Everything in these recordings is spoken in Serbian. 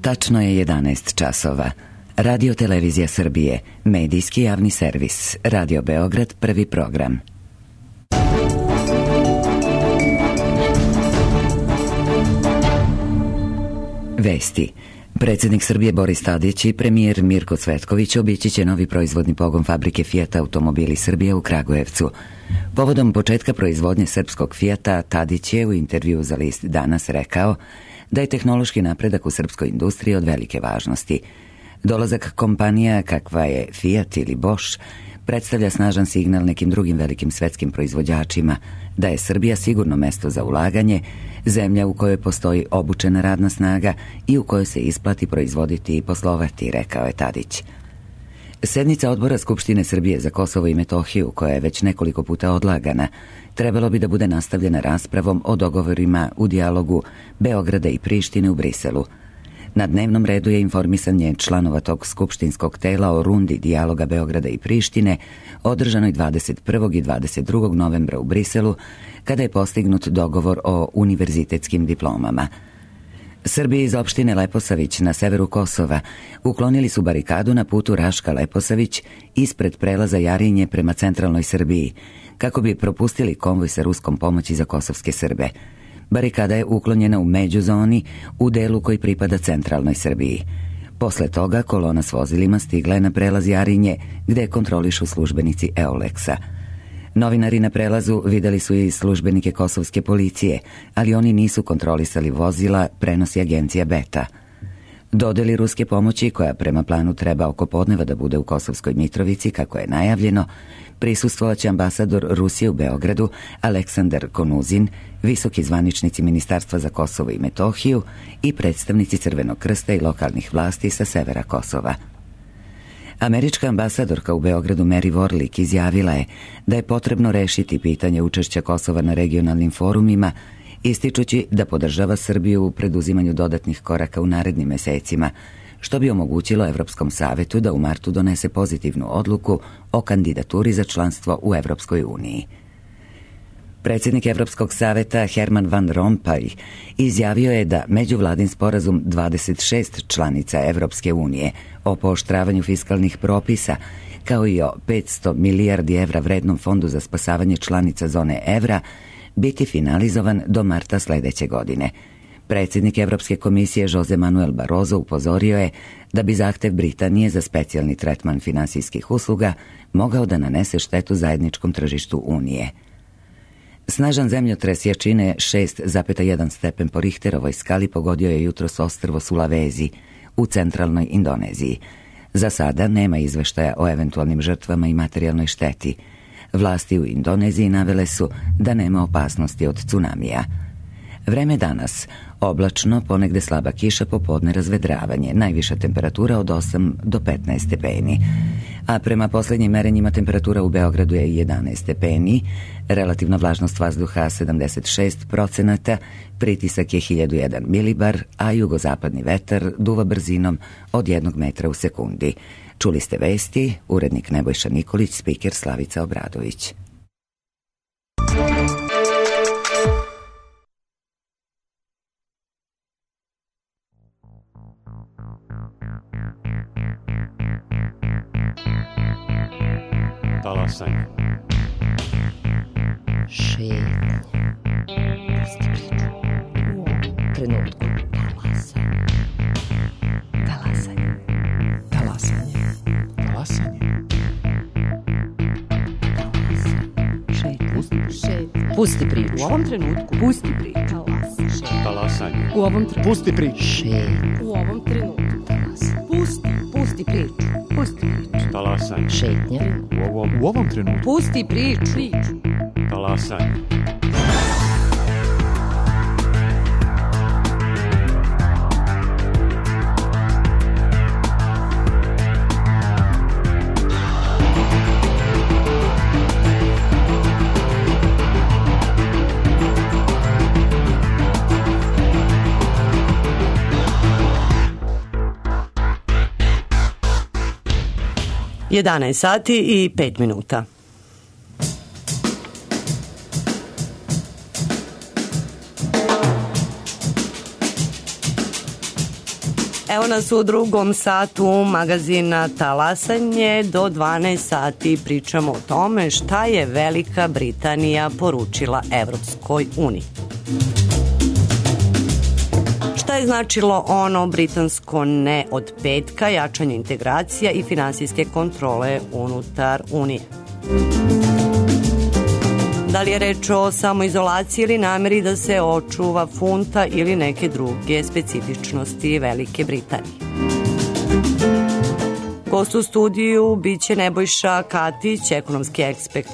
Tačno je 11 časova. Radio Televizija Srbije, medijski javni servis, Radio Beograd, prvi program. Vesti. Predsjednik Srbije Boris Tadić i premijer Mirko Cvetković obići će novi proizvodni pogon fabrike Fijata Automobili Srbije u Kragujevcu. Povodom početka proizvodnje srpskog Fijata, Tadić je u intervju za list Danas rekao da je tehnološki napredak u srpskoj industriji od velike važnosti. Dolazak kompanija kakva je Fiat ili Bosch predstavlja snažan signal nekim drugim velikim svetskim proizvođačima da je Srbija sigurno mesto za ulaganje, zemlja u kojoj postoji obučena radna snaga i u kojoj se isplati proizvoditi i poslovati, rekao je Tadić. Sednica odbora Skupštine Srbije za Kosovo i Metohiju, koja je već nekoliko puta odlagana, trebalo bi da bude nastavljena raspravom o dogovorima u dijalogu Beograda i Prištine u Briselu. Na dnevnom redu je informisanje članova tog skupštinskog tela o rundi dijaloga Beograda i Prištine, održanoj 21. i 22. novembra u Briselu, kada je postignut dogovor o univerzitetskim diplomama. Srbi iz opštine Leposavić na severu Kosova uklonili su barikadu na putu Raška-Leposavić ispred prelaza Jarinje prema centralnoj Srbiji, kako bi propustili konvoj sa ruskom pomoći za kosovske Srbe. Barikada je uklonjena u međuzoni u delu koji pripada centralnoj Srbiji. Posle toga kolona s vozilima stigla je na prelaz Jarinje, gde kontrolišu službenici Euleksa. Novinari na prelazu videli su i službenike kosovske policije, ali oni nisu kontrolisali vozila, prenosi agencija Beta. Dodeli ruske pomoći, koja prema planu treba oko podneva da bude u Kosovskoj Mitrovici, kako je najavljeno, prisustvovaće ambasador Rusije u Beogradu Aleksandar Konuzin, visoki zvaničnici Ministarstva za Kosovo i Metohiju i predstavnici Crvenog krsta i lokalnih vlasti sa severa Kosova. Američka ambasadorka u Beogradu Mary Warlick izjavila je da je potrebno rešiti pitanje učešća Kosova na regionalnim forumima, ističući da podržava Srbiju u preduzimanju dodatnih koraka u narednim mesecima, što bi omogućilo Evropskom savetu da u martu donese pozitivnu odluku o kandidaturi za članstvo u Evropskoj uniji. Predsjednik Evropskog saveta Herman Van Rompuy izjavio je da međuvladin sporazum 26 članica Evropske unije o pooštravanju fiskalnih propisa, kao i o 500 milijardi evra vrednom fondu za spasavanje članica zone evra, biti finalizovan do marta sledeće godine. Predsjednik Evropske komisije Jose Manuel Barroso upozorio je da bi zahtev Britanije za specijalni tretman finansijskih usluga mogao da nanese štetu zajedničkom tržištu Unije. Snažan zemljotres jačine 6,1 stepen po Richterovoj skali pogodio je jutros ostrvo Sulawesi u centralnoj Indoneziji. Za sada nema izveštaja o eventualnim žrtvama i materijalnoj šteti. Vlasti u Indoneziji navele su da nema opasnosti od tsunamija. Vreme danas, oblačno, ponegde slaba kiša, popodne razvedravanje, najviša temperatura od 8 do 15 stepeni. A prema posljednjim merenjima temperatura u Beogradu je 11 stepeni, relativna vlažnost vazduha 76%, pritisak je 1001 milibar, a jugozapadni vetar duva brzinom od 1 metra u sekundi. Čuli ste vesti, urednik Nebojša Nikolić, spiker Slavica Obradović. Talasanje. Šetnja. Pusti priču. U ovom trenutku. Talasanje. Talasanje. Talasanje. Šetnja. Pusti priču. U ovom trenutku. Pusti priču. Talasanje. U ovom trenutku. Pusti priču. Šetnja. U ovom trenutku. Pusti priču. Pusti priču. Talasanje. Šetnja. U ovom trenutku. Pusti priču. Talasanje. Jedanaest sati i 5 minuta. Evo nas u drugom satu magazina Talasanje. Do 12 sati pričamo o tome šta je Velika Britanija poručila Evropskoj uniji. Šta je značilo ono britansko ne od petka, jačanje integracija i finansijske kontrole unutar Unije? Da li je reč o samoizolaciji ili nameri da se očuva funta ili neke druge specifičnosti Velike Britanije? Gost u studiju biće Nebojša Katić, ekonomski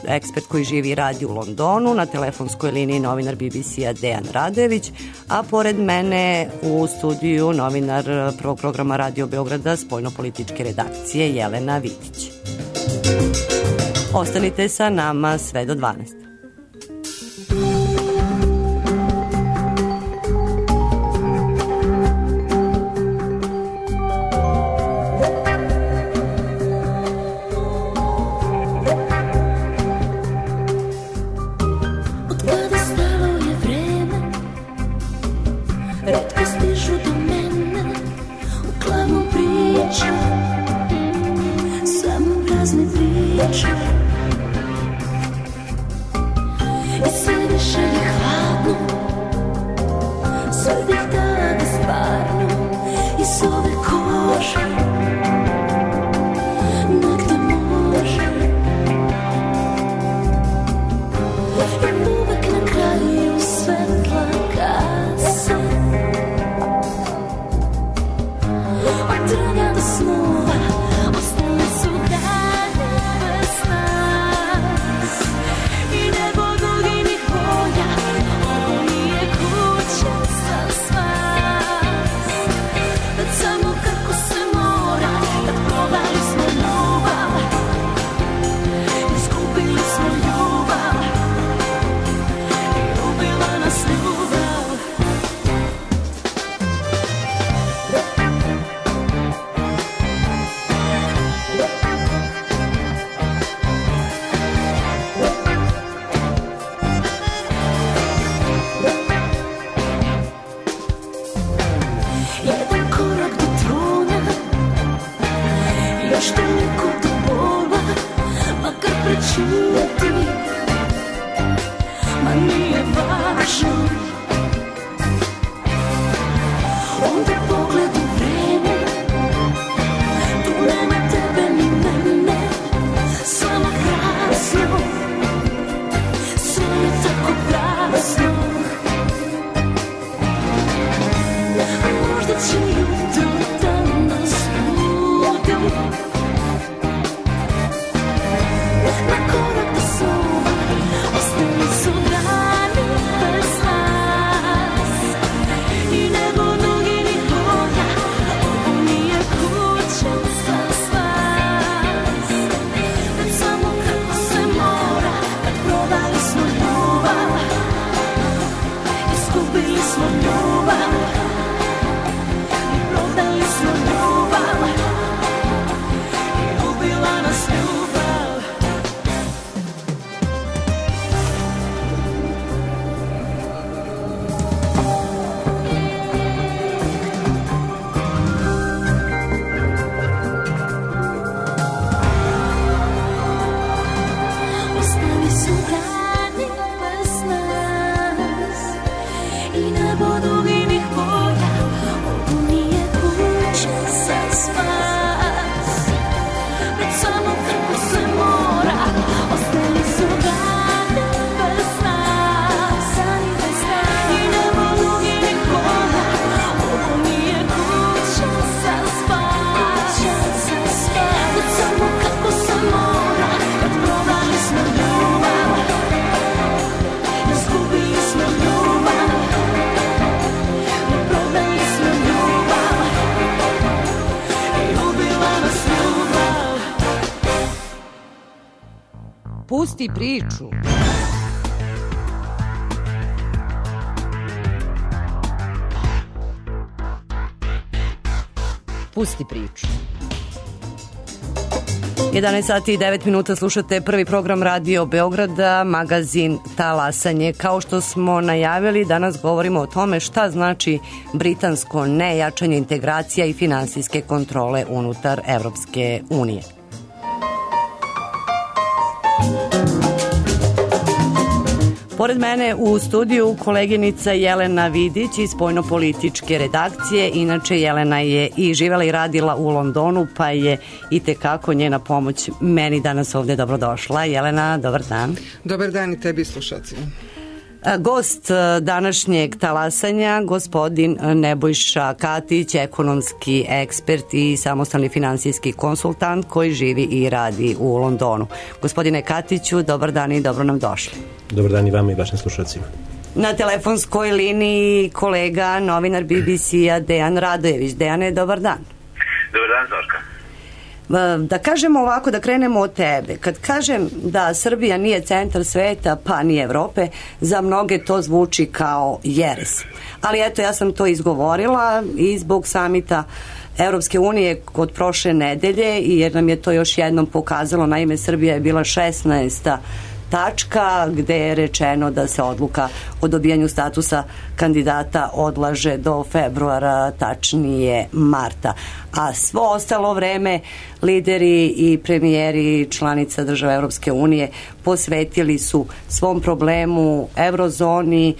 ekspert koji živi i radi u Londonu, na telefonskoj liniji novinar BBC-a Dejan Radojević, a pored mene u studiju novinar prvog programa Radio Beograda spoljnopolitičke redakcije Jelena Vitić. Ostanite sa nama sve do 12. Pusti priču. Pusti priču. 11 sati i 9 minuta slušate prvi program Radio Beograda, magazin Talasanje. Kao što smo najavili, danas govorimo o tome šta znači britansko nejačanje integracija i finansijske kontrole unutar Evropske unije. Pored mene u studiju koleginica Jelena Vidić iz spoljnopolitičke redakcije. Inače, Jelena je i živela i radila u Londonu, pa je i tekako njena pomoć meni danas ovde dobrodošla. Jelena, dobar dan. Dobar dan i tebi, slušalcima. Gost današnjeg talasanja, gospodin Nebojša Katić, ekonomski ekspert i samostalni finansijski konsultant koji živi i radi u Londonu. Gospodine Katiću, dobar dan i dobro nam došli. Dobar dan i vama i vašim slušalcima. Na telefonskoj liniji kolega, novinar BBC-a Dejan Radojević. Dejane, dobar dan. Dobar dan, Zorka. Da kažemo ovako, da krenemo od tebe. Kad kažem da Srbija nije centar sveta, pa ni Evrope, za mnoge to zvuči kao jeres. Ali eto, ja sam to izgovorila i zbog samita Evropske unije od prošle nedelje, jer nam je to još jednom pokazalo. Naime, Srbija je bila 16. tačka gde je rečeno da se odluka o dobijanju statusa kandidata odlaže do februara, tačnije marta. A svo ostalo vreme lideri i premijeri članica država Evropske unije posvetili su svom problemu, eurozoni,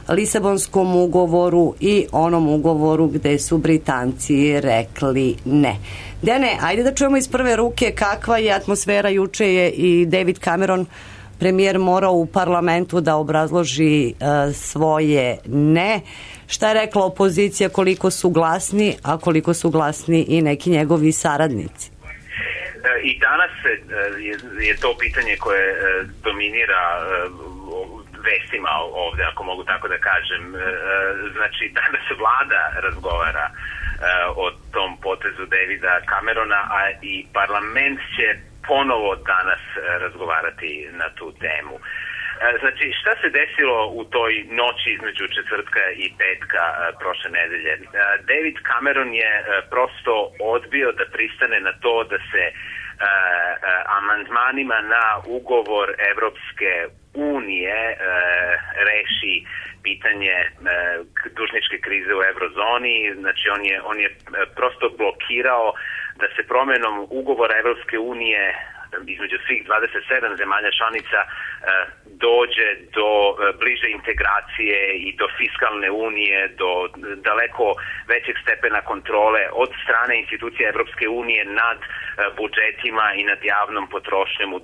Lisabonskom ugovoru i onom ugovoru gde su Britanci rekli ne. Dene, ajde da čujemo iz prve ruke kakva je atmosfera. Juče je i David Cameron, premijer, morao u parlamentu da obrazloži svoje ne. Šta je rekla opozicija, koliko su glasni, a koliko su glasni i neki njegovi saradnici? I danas je to pitanje koje dominira vestima ovde, ako mogu tako da kažem. Znači, danas vlada razgovara o tom potezu Davida Camerona, a i parlament će ponovo danas razgovarati na tu temu. Znači, šta se desilo u toj noći između četvrtka i petka prošle nedelje? David Cameron je prosto odbio da pristane na to da se amandmanima na ugovor Evropske unije reši pitanje dužničke krize u eurozoni. Znači, on je prosto blokirao da se promenom ugovora Evropske unije između svih 27 zemalja članica dođe do bliže integracije i do fiskalne unije, do daleko većeg stepena kontrole od strane institucije Evropske unije nad budžetima i nad javnom potrošnjom u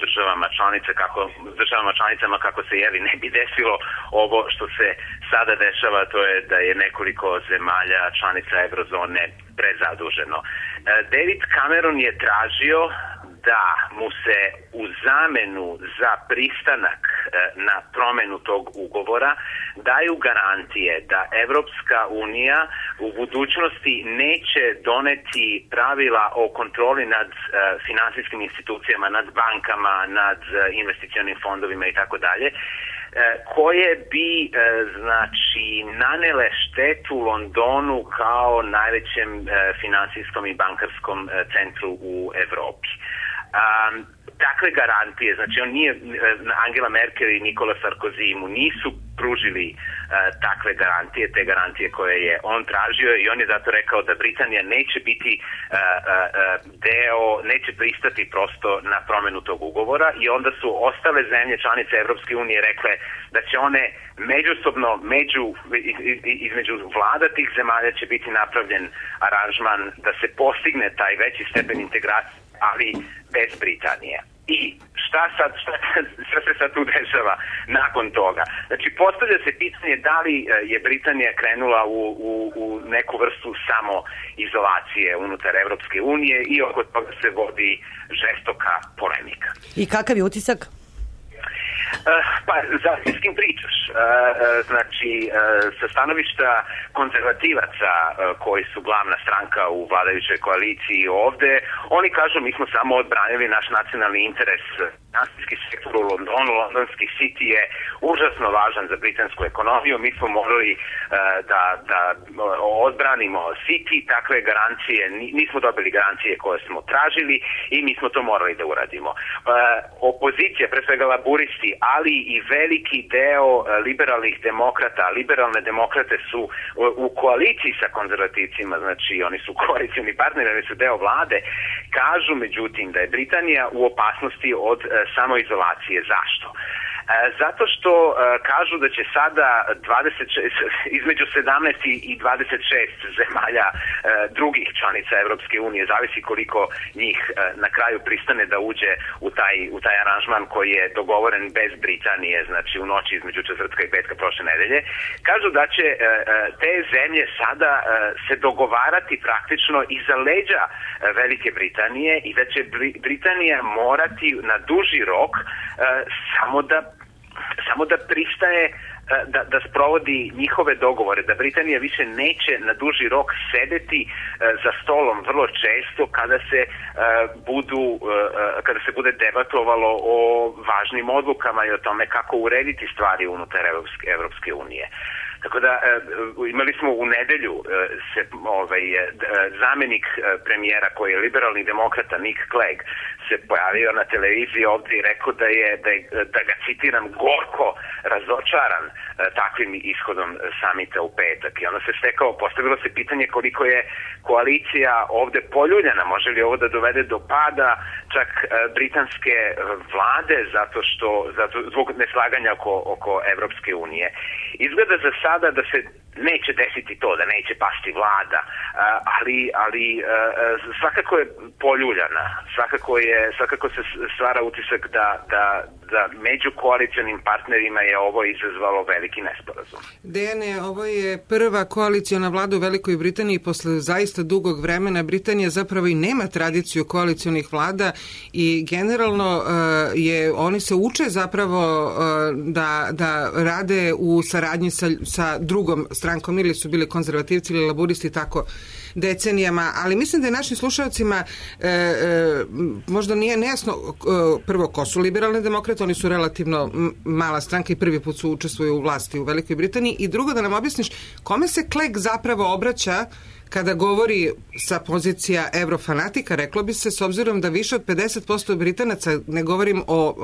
državama članicama kako se ne bi desilo ovo što se sada dešava, to je da je nekoliko zemalja članica eurozone prezaduženo. David Cameron je tražio da mu se u zamenu za pristanak na promenu tog ugovora daju garantije da Evropska unija u budućnosti neće doneti pravila o kontroli nad finansijskim institucijama, nad bankama, nad investicionim fondovima i tako dalje, koje bi nanele štetu Londonu kao najvećem finansijskom i bankarskom centru u Evropi. Takve garantije, znači on nije, Angela Merkel i Nikola Sarkozy mu nisu pružili takve garantije, te garantije koje je on tražio, i on je zato rekao da Britanija neće biti neće pristati prosto na promenu tog ugovora, i onda su ostale zemlje članice Evropske unije rekle da će one međusobno između vlada tih zemalja će biti napravljen aranžman da se postigne taj veći stepen integracije, ali bez Britanije. I šta se sad tu dešava nakon toga? Znači, postavlja se pitanje da li je Britanija krenula u neku vrstu samoizolacije unutar Evropske unije, i oko toga se vodi žestoka polemika. I kakav je utisak? Pa, zavisi s kim pričaš. Znači, sa stanovišta konzervativaca koji su glavna stranka u vladajućoj koaliciji ovde, oni kažu mi smo samo odbranili naš nacionalni interes. Finansijski sektor u Londonu, londonski City je užasno važan za britansku ekonomiju. Mi smo morali da odbranimo City, takve garancije, nismo dobili garancije koje smo tražili i mi smo to morali da uradimo. Opozicija, pre svega laburisti, ali i veliki deo liberalnih demokrata, liberalne demokrate su u koaliciji sa konzervativcima, znači oni su koalicioni partneri, oni su deo vlade, kažu međutim da je Britanija u opasnosti od samoizolacije. Zašto? Zato što kažu da će sada između 17 i 26 zemalja drugih članica Evropske unije, zavisi koliko njih na kraju pristane da uđe u taj aranžman koji je dogovoren bez Britanije, znači u noći između četvrtka i petka prošle nedelje, kažu da će te zemlje sada se dogovarati praktično iza leđa Velike Britanije i da će Britanija morati na duži rok samo da pristaje da sprovodi njihove dogovore, da Britanija više neće na duži rok sedeti za stolom vrlo često kada se bude debatovalo o važnim odlukama i o tome kako urediti stvari unutar Evropske unije. Tako da imali smo u nedelju zamenik premijera koji je liberalni demokrata Nick Clegg se pojavio na televiziji ovdje i rekao da ga citiram, gorko razočaran takvim ishodom samita u petak. I onda se postavilo se pitanje koliko je koalicija ovdje poljuljana, može li ovo da dovede do pada čak britanske vlade zbog neslaganja oko Evropske unije. Izgleda za sada da se neće desiti to, da neće pasti vlada, ali svakako je poljuljana, svakako se stvara utisak da među koalicionim partnerima je ovo izazvalo veliki nesporazum. Dejane, ovo je prva koaliciona vlada u Velikoj Britaniji posle zaista dugog vremena. Britanija zapravo i nema tradiciju koalicionih vlada i generalno oni se uče zapravo da rade u saradnji sa drugom strankom, ili su bili konzervativci ili laburisti tako decenijama, ali mislim da je našim slušalcima možda nije nejasno prvo ko su liberalne demokrate, oni su relativno mala stranka i prvi put su učestvuju u vlasti u Velikoj Britaniji, i drugo da nam objasniš kome se Clegg zapravo obraća kada govori sa pozicija eurofanatika, reklo bi se, s obzirom da više od 50% Britanaca, ne govorim o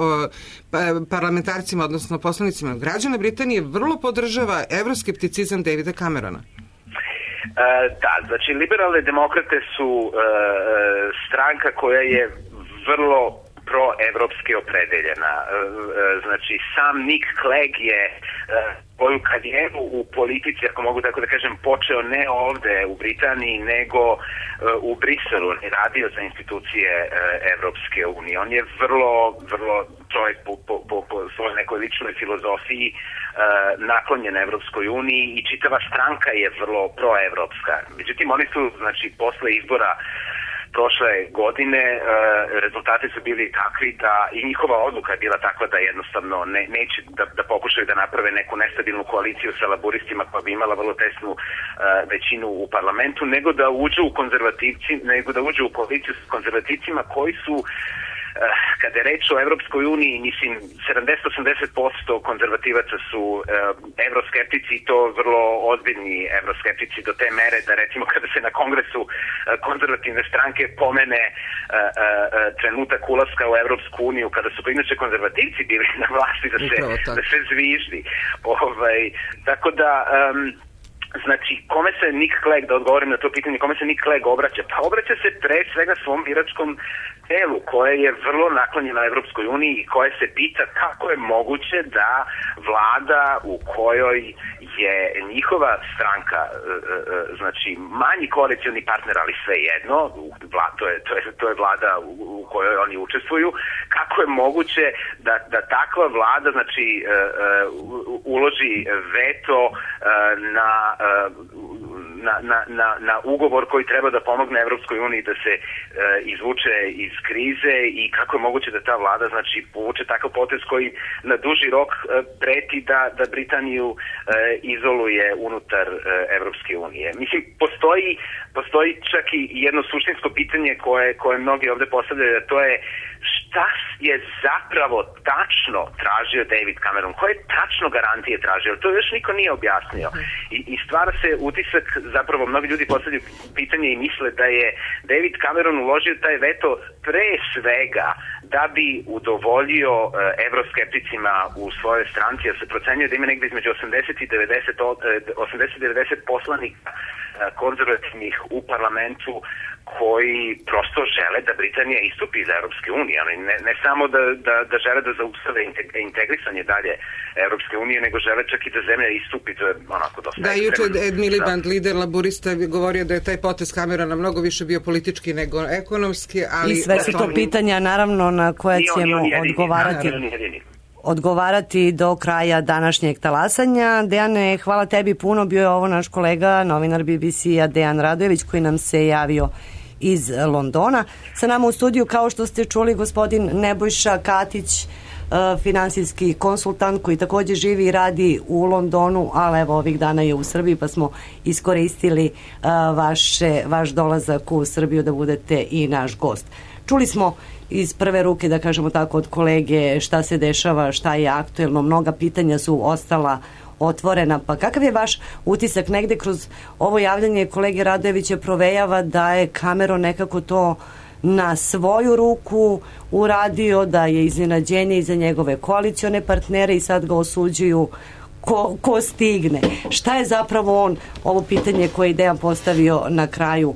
parlamentarcima, odnosno poslanicima, građana Britanije vrlo podržava evroskepticizam Davida Camerona. Da, znači liberalne demokrate su stranka koja je vrlo proevropski opredeljena. Znači sam Nick Clegg je svoju karijeru u politici, ako mogu tako da kažem, počeo ne ovde u Britaniji, nego u Briselu. On je radio za institucije Evropske unije. On je vrlo čovjek po svojoj nekoj ličnoj filozofiji naklonjen Evropskoj uniji i čitava stranka je vrlo proevropska. Međutim, oni su, znači, posle izbora prošle godine rezultati su bili takvi da i njihova odluka je bila takva da jednostavno neće da pokušaju da naprave neku nestabilnu koaliciju sa laburistima koja bi imala vrlo tesnu većinu u parlamentu, nego da uđu u koaliciju s konzervativcima koji su, kada je reč o Evropskoj uniji, mislim, 70-80% konzervativaca su evroskeptici i to vrlo ozbiljni evroskeptici do te mere da recimo kada se na kongresu konzervativne stranke pomene trenutak ulaska u Evropsku uniju, kada su inače konzervativci bili na vlasti da se zviždi. Tako da znači, kome se Nick Clegg, da odgovorim na to pitanje, kome se Nick Clegg obraća? Pa obraća se pre svega svom biračkom telu koje je vrlo naklonjeno Evropskoj uniji i koje se pita kako je moguće da vlada u kojoj je njihova stranka, znači manji koalicioni partner, ali svejedno, to je vlada u kojoj oni učestvuju, kako je moguće da takva vlada, znači, uloži veto na ugovor koji treba da pomogne Evropskoj uniji da se izvuče iz krize i kako je moguće da ta vlada znači povuče takav potez koji na duži rok preti da Britaniju izoluje unutar Evropske unije. Mislim, postoji čak i jedno suštinsko pitanje koje mnogi ovde postavljaju, a to je šta je zapravo tačno tražio David Cameron? Koje tačno garantije tražio? To još niko nije objasnio. I stvara se utisak, zapravo mnogi ljudi postavljaju pitanje i misle da je David Cameron uložio taj veto pre svega da bi udovoljio evroskepticima u svojoj stranci, jer se procenjuje da ima negde između 80 i 90 poslanika konzervativnih u parlamentu koji prosto žele da Britanija istupi iz Evropske unije. Ne samo da žele da zaustave integrisanje dalje Evropske unije, nego žele čak i da zemlja istupi. To je onako dosta... Da, juče Ed Miliband, lider laborista, govorio da je taj potez Camerona mnogo više bio politički nego ekonomski, ali... I sve su to pitanja, naravno, na koja ćemo odgovarati do kraja današnjeg talasanja. Dejane, hvala tebi puno, bio je ovo naš kolega, novinar BBC-a Dejan Radojević, koji nam se javio iz Londona. Sa nama u studiju, kao što ste čuli, gospodin Nebojša Katić, finansijski konsultant koji takođe živi i radi u Londonu, ali evo ovih dana je u Srbiji, pa smo iskoristili vaš dolazak u Srbiju da budete i naš gost. Čuli smo iz prve ruke, da kažemo tako, od kolege šta se dešava, šta je aktuelno, mnoga pitanja su ostala otvorena, pa kakav je vaš utisak? Negde kroz ovo javljanje kolege Radojevića provejava da je Cameron nekako to na svoju ruku uradio, da je iznenađenje i za njegove koalicione partnere i sad ga osuđuju ko stigne. Šta je zapravo on, ovo pitanje koje je Dejan postavio na kraju,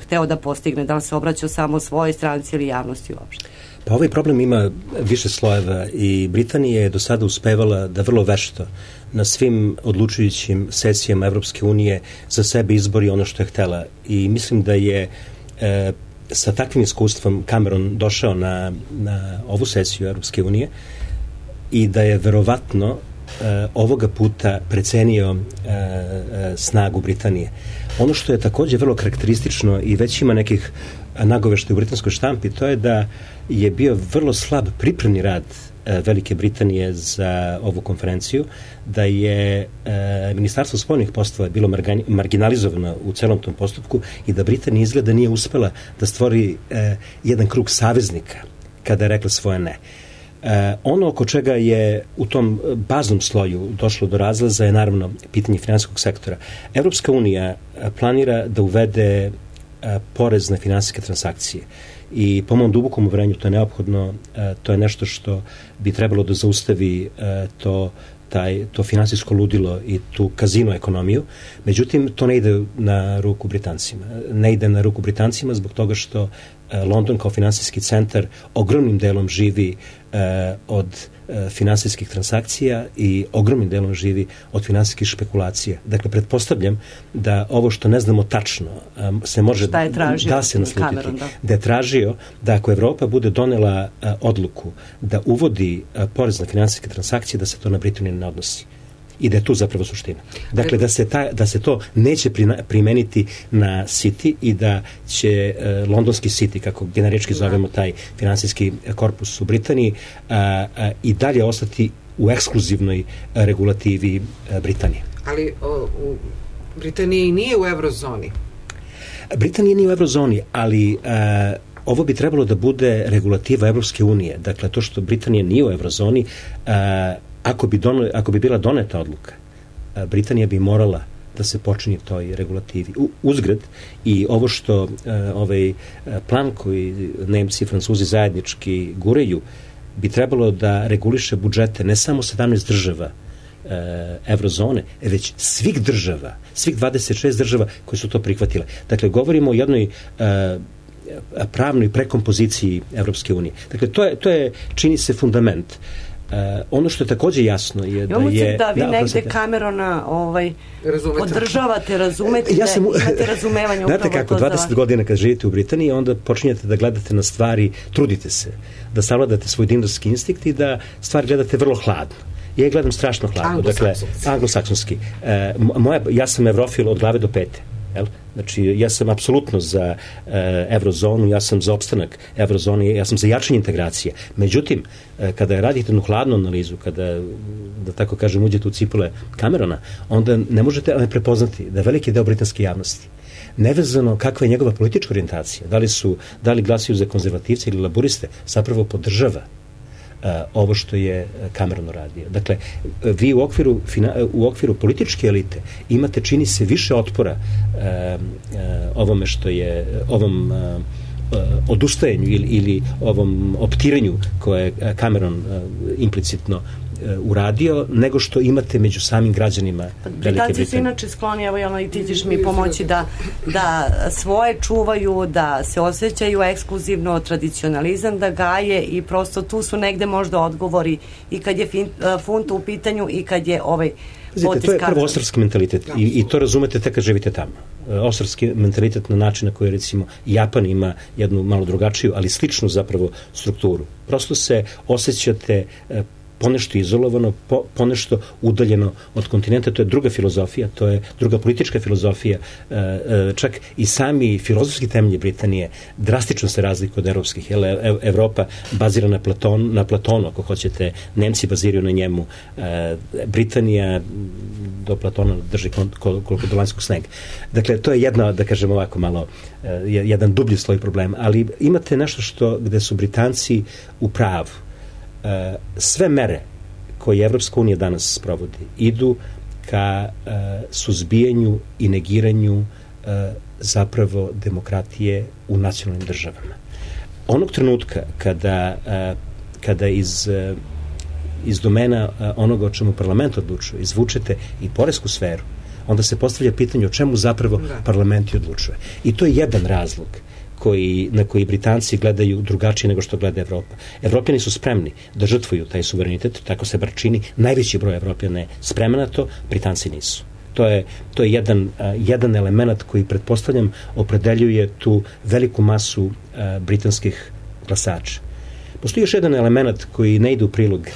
hteo da postigne? Da li se obraćao samo svojoj stranci ili javnosti uopšte? Pa ovaj problem ima više slojeva i Britanija je do sada uspevala da vrlo vešto na svim odlučujućim sesijama Evropske unije za sebe izbori ono što je htela. I mislim da je sa takvim iskustvom Cameron došao na ovu sesiju Evropske unije i da je verovatno ovoga puta precenio snagu Britanije. Ono što je takođe vrlo karakteristično i već ima nekih nagoveštaja u britanskoj štampi, to je da je bio vrlo slab pripremni rad Velike Britanije za ovu konferenciju, da je Ministarstvo spoljnih poslova bilo marginalizovano u celom tom postupku i da Britanija izgleda nije uspela da stvori jedan krug saveznika kada je rekla svoje ne. Ono oko čega je u tom baznom sloju došlo do razlaza je naravno pitanje finansijskog sektora. Evropska unija planira da uvede porez na finansijske transakcije i po mom dubokom uverenju to je neophodno, to je nešto što bi trebalo da zaustavi to finansijsko ludilo i tu kazino ekonomiju. Međutim, to ne ide na ruku Britancima. Ne ide na ruku Britancima zbog toga što London kao finansijski centar ogromnim delom živi od finansijskih transakcija i ogromnim delom živi od finansijskih špekulacija. Dakle, pretpostavljam da ovo što ne znamo tačno se može da se naslutiti. Da je tražio da ako Evropa bude donela odluku da uvodi porez na finansijske transakcije, da se to na Britaniju ne odnosi. I da je tu zapravo suština. Dakle, da se to neće primeniti na City i da će londonski City, kako generički zovemo taj finansijski korpus u Britaniji, i dalje ostati u ekskluzivnoj regulativi Britanije. Ali u Britaniji nije u eurozoni. Britanija nije u eurozoni, ali ovo bi trebalo da regulativa Evropske unije. Dakle, to što Britanija nije u eurozoni, ako bi bila doneta odluka, Britanija bi morala da se počinje toj regulativi. Uzgred i ovo što ovaj plan koji Nemci i Francuzi zajednički guraju bi trebalo da reguliše budžete ne samo 17 država eurozone, već svih država, svih 26 država koje su to prihvatile. Dakle, govorimo o jednoj pravnoj prekompoziciji Evropske unije. Dakle, to je čini se fundament. Ono što je takođe jasno je da je... Da vi negde Camerona podržavate, razumete, imate razumevanje upravo to. Znate kako, 20 godina kad živite u Britaniji, onda počinjete da gledate na stvari, trudite se da savladate svoj dinarski instinkt i da stvari gledate vrlo hladno. Ja gledam strašno hladno. Anglosaksonski. Ja sam evrofil od glave do pete. Znači, ja sam apsolutno za evrozonu, ja sam za opstanak evrozone, ja sam za jačanje integracije. Međutim, kada radite jednu hladnu analizu, kada, da tako kažem, uđete u cipule Camerona, onda ne možete prepoznati da veliki deo britanske javnosti, nevezano kakva je njegova politička orijentacija, da li glasuju za konzervativce ili laburiste, zapravo podržava ovo što je Cameron uradio. Dakle, vi u okviru političke elite imate, čini se, više otpora ovome što je, ovom odustajanju ili ovom optiranju koje je Cameron implicitno uradio, nego što imate među samim građanima Velike Britanije. Britanci su inače skloni, evo i ti ćeš mi pomoći da svoje čuvaju, da se osjećaju ekskluzivno, tradicionalizam da gaje i prosto tu su negde možda odgovori i kad je funt u pitanju i kad je ovaj potez. To je prvo ostrvski mentalitet i to razumete tek kad živite tamo. Ostrvski mentalitet na način na koji recimo Japan ima jednu malo drugačiju, ali sličnu zapravo strukturu. Prosto se osjećate ponešto izolovano, ponešto udaljeno od kontinenta. To je druga filozofija, to je druga politička filozofija. Čak i sami filozofski temelji Britanije drastično se razlikuju od evropskih. Evropa bazira na Platonu, ako hoćete, Nemci baziraju na njemu. Britanija do Platona drži koliko do lanjskog snega. Dakle, to je jedna, da kažem ovako malo, jedan dublji sloj problema. Ali imate nešto gde su Britanci u pravu. Sve mere koje Evropska unija danas sprovodi idu ka suzbijanju i negiranju zapravo demokratije u nacionalnim državama. Onog trenutka kada iz domena onoga o čemu parlament odlučuje izvučete i poresku sferu, onda se postavlja pitanje o čemu zapravo parlament odlučuje. I to je jedan razlog na koji Britanci gledaju drugačije nego što gleda Evropa. Evropljani su spremni da žrtvuju taj suverenitet, tako se bar čini. Najveći broj Evropljana je spreman na to, Britanci nisu. To je jedan element koji, pretpostavljam, opredeljuje tu veliku masu britanskih glasača. Postoji još jedan element koji ne ide u prilog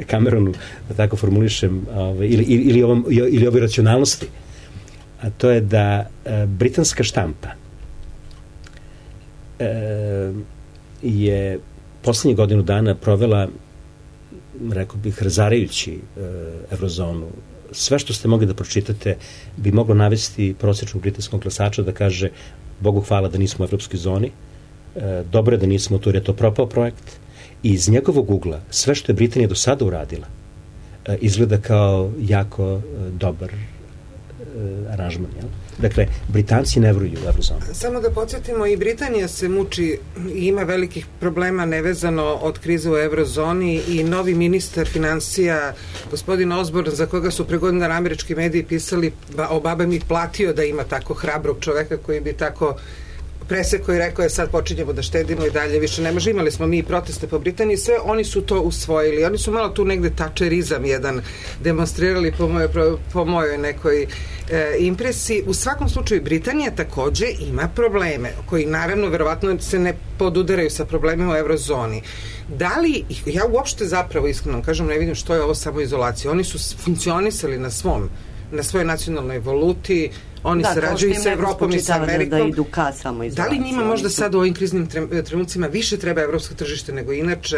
Cameronu, da tako formulišem, ili ovoj racionalnosti, a to je da britanska štampa je poslednjih godinu dana provela, rekao bih, razarajući evrozonu. Sve što ste mogli da pročitate bi moglo navesti prosječnog britanskog glasača da kaže Bogu hvala da nismo u evropskoj zoni, dobro je da nismo tu jer je to propao projekt, i iz njegovog ugla sve što je Britanija do sada uradila izgleda kao jako dobar aranžman. Dakle, Britanci ne veruju u evrozonu. Samo da podsjetimo, i Britanija se muči i ima velikih problema nevezano od krize u evrozoni i novi ministar financija, gospodin Osborn, za koga su pre godina američki mediji pisali o baba mi platio da ima tako hrabrog čoveka koji bi tako presekao i rekao je sad počinjemo da štedimo i dalje više ne može. Imali smo mi proteste po Britaniji, sve oni su to usvojili. Oni su malo tu negde tačerizam jedan demonstrirali po mojoj nekoj impresiji. U svakom slučaju Britanija takođe ima probleme koji naravno verovatno se ne podudaraju sa problemima u evrozoni. Da li, ja uopšte zapravo iskreno kažem ne vidim što je ovo samoizolacija. Oni su funkcionisali na svojoj nacionalnoj valuti, oni sarađuju sa Evropom i sa Amerikom. Da idu ka samoizolaciji. Da li njima možda sad u ovim kriznim trenucima više treba evropsko tržište nego inače?